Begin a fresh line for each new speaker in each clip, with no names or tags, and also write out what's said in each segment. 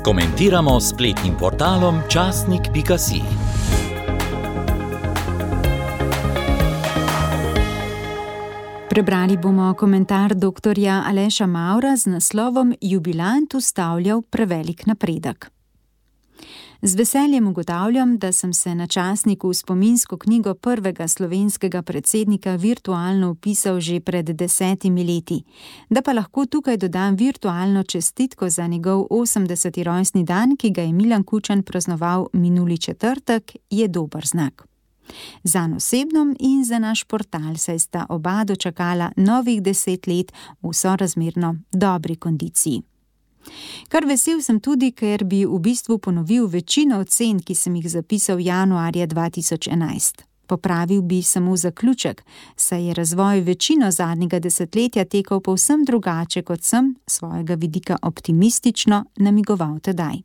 Komentiramo s spletnim portalom časnik.si.
Prebrali bomo komentar doktorja Aleša Mavra z naslovom Jubilant ustavljal prevelik napredek. Z veseljem ugotavljam, da sem se na časniku v spominsko knjigo prvega slovenskega predsednika virtualno vpisal že pred 10 leti. Da pa lahko tukaj dodam virtualno čestitko za njegov 80. rojstni dan, ki ga je Milan Kučan praznoval minuli četrtek, je dober znak. Zanj osebno in za naš portal, saj sta oba dočakala novih 10 let v sorazmerno dobri kondiciji. Kar vesel sem tudi, ker bi v bistvu ponovil večino ocen, ki sem jih zapisal januarja 2011. Popravil bi samo zaključek, saj je razvoj večino zadnjega desetletja tekel povsem drugače, kot sem svojega vidika optimistično namigoval tedaj.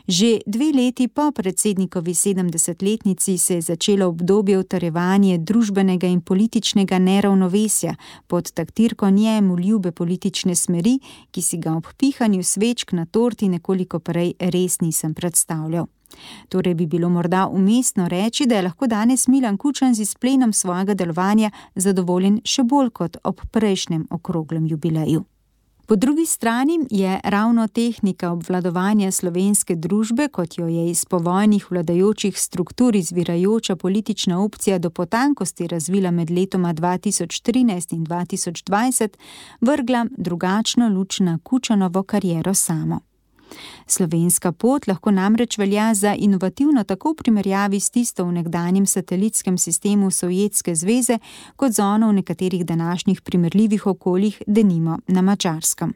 Že 2 leti po predsednikovi 70-letnici se je začelo obdobje utrjevanja družbenega in političnega neravnovesja pod taktirko njemu ljube politične smeri, ki si ga ob pihanju svečk na torti nekoliko prej res nisem predstavljal. Torej bi bilo morda umestno reči, da je lahko danes Milan Kučan z izplenom svojega delovanja zadovoljen še bolj kot ob prejšnjem okroglem jubileju. Po drugi strani je ravno tehnika obvladovanja slovenske družbe, kot jo je iz povojnih vladajočih struktur izvirajoča politična opcija do potankosti razvila med letoma 2013 in 2020, vrgla drugačno luč na Kučanovo kariero samo. Slovenska pot lahko namreč velja za inovativno tako v primerjavi s tisto v nekdanjem satelitskem sistemu Sovjetske zveze, kot z ono v nekaterih današnjih primerljivih okoljih, denimo na Madžarskem.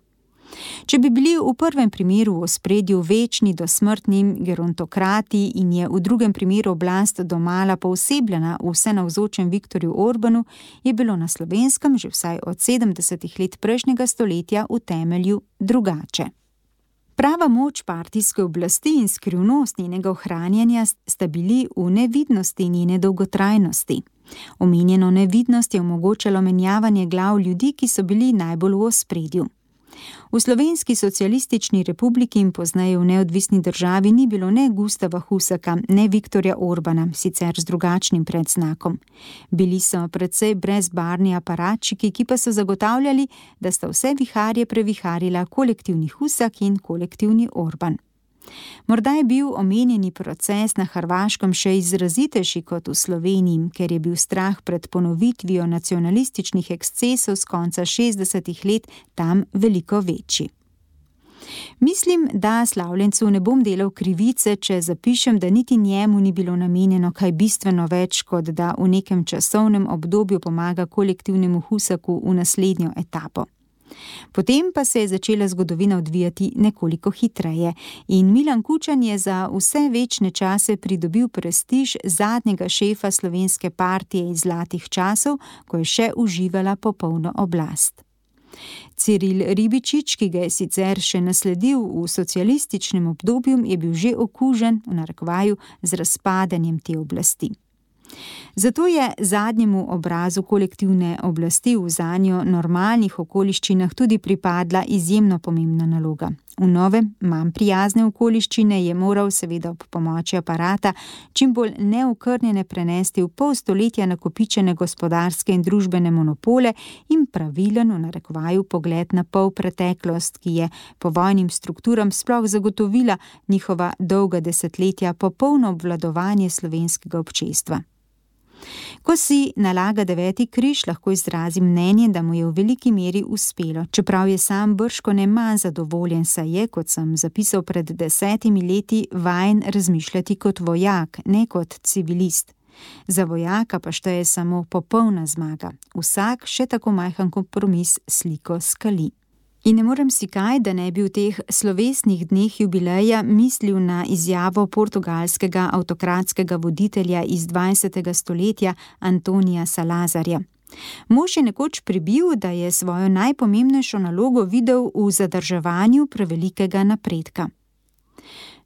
Če bi bili v prvem primeru v ospredju večni dosmrtni gerontokrati in je v drugem primeru oblast domala poosebljena v vsenavzočem Viktorju Orbanu, je bilo na Slovenskem že vsaj od 70 let prejšnjega stoletja v temelju drugače. Prava moč partijske oblasti in skrivnost njenega ohranjanja sta bili v nevidnosti njene dolgotrajnosti. Omenjeno nevidnost je omogočalo menjavanje glav ljudi, ki so bili najbolj v ospredju. V Slovenski socialistični republiki in pozneje v neodvisni državi ni bilo ne Gustava Husaka, ne Viktorja Orbana, sicer z drugačnim predznakom. Bili so precej brezbarni aparatčiki, ki pa so zagotavljali, da sta vse viharje previharila kolektivni Husak in kolektivni Orban. Morda je bil omenjeni proces na Hrvaškem še izrazitejši kot v Sloveniji, ker je bil strah pred ponovitvijo nacionalističnih ekscesov z konca 60 let tam veliko večji. Mislim, da slavljencu ne bom delal krivice, če zapišem, da niti njemu ni bilo namenjeno kaj bistveno več, kot da v nekem časovnem obdobju pomaga kolektivnemu Husaku v naslednjo etapo. Potem pa se je začela zgodovina odvijati nekoliko hitreje in Milan Kučan je za vse večne čase pridobil prestiž zadnjega šefa slovenske partije iz zlatih časov, ko je še uživala popolno oblast. Ciril Ribičič, ki ga je sicer še nasledil v socialističnem obdobju, je bil že okužen, v narekovaju, z razpadanjem te oblasti. Zato je zadnjemu obrazu kolektivne oblasti v zanjo normalnih okoliščinah tudi pripadla izjemno pomembna naloga. V nove, manj prijazne okoliščine je moral seveda ob pomoči aparata čim bolj neokrnjene prenesti v pol stoletja nakopičene gospodarske in družbene monopole in pravilen, v narekovaju, pogled na pol preteklost, ki je povojnim strukturam sploh zagotovila njihova dolga desetletja popolno obvladovanje slovenskega občestva. Ko si nalaga 9. križ, lahko izrazi mnenje, da mu je v veliki meri uspelo, čeprav je sam bržkone manj zadovoljen, saj je, kot sem zapisal pred 10 leti, vajen razmišljati kot vojak, ne kot civilist. Za vojaka pa šteje samo popolna zmaga. Vsak, še tako majhen kompromis, sliko skali. In ne morem si kaj, da ne bi v teh slovesnih dneh jubileja mislil na izjavo portugalskega avtokratskega voditelja iz 20. stoletja Antonija Salazarja. Mož je nekoč pribil, da je svojo najpomembnejšo nalogo videl v zadrževanju prevelikega napredka.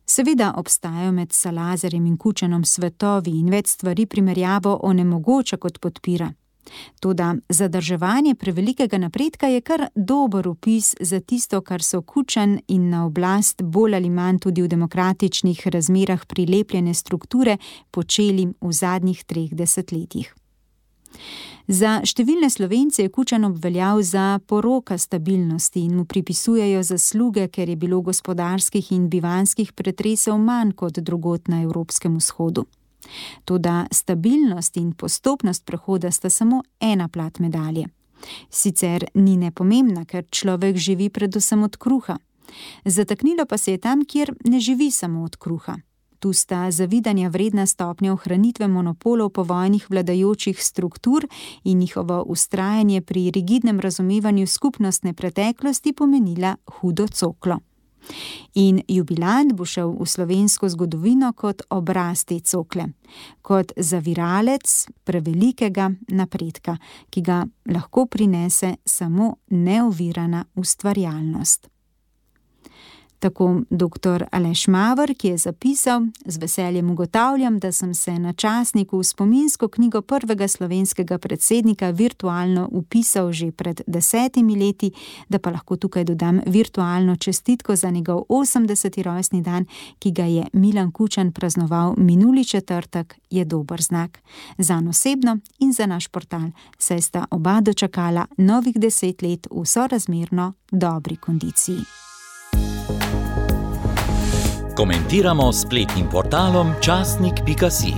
Seveda obstajajo med Salazarjem in Kučanom svetovi in več stvari primerjavo onemogoča kot podpira. Toda zadrževanje prevelikega napredka je kar dober opis za tisto, kar so Kučan in na oblast bolj ali manj tudi v demokratičnih razmerah prilepljene strukture počeli v zadnjih 3 desetletjih. Za številne Slovence je Kučan obveljal za poroka stabilnosti in mu pripisujejo zasluge, ker je bilo gospodarskih in bivanjskih pretresov manj kot drugod na Evropskem vzhodu. Toda stabilnost in postopnost prehoda sta samo ena plat medalje. Sicer ni nepomembna, ker človek živi predvsem od kruha. Zataknilo pa se je tam, kjer ne živi samo od kruha. Tu sta zavidanja vredna stopnja ohranitve monopolov povojnih vladajočih struktur in njihovo vztrajanje pri rigidnem razumevanju skupnostne preteklosti pomenila hudo coklo. In jubilant bo šel v slovensko zgodovino kot obraz te cokle, kot zaviralec prevelikega napredka, ki ga lahko prinese samo neovirana ustvarjalnost. Tako dr. Aleš Maver, ki je zapisal: "Z veseljem ugotavljam, da sem se na časniku v spominsko knjigo prvega slovenskega predsednika virtualno vpisal že pred 10 leti, da pa lahko tukaj dodam virtualno čestitko za njegov 80. rojstni dan, ki ga je Milan Kučan praznoval minuli četrtek, je dober znak. Zanj osebno in za naš portal, saj sta oba dočakala novih 10 let v sorazmerno dobri kondiciji."
Komentiramo s spletnim portalom časnik.si.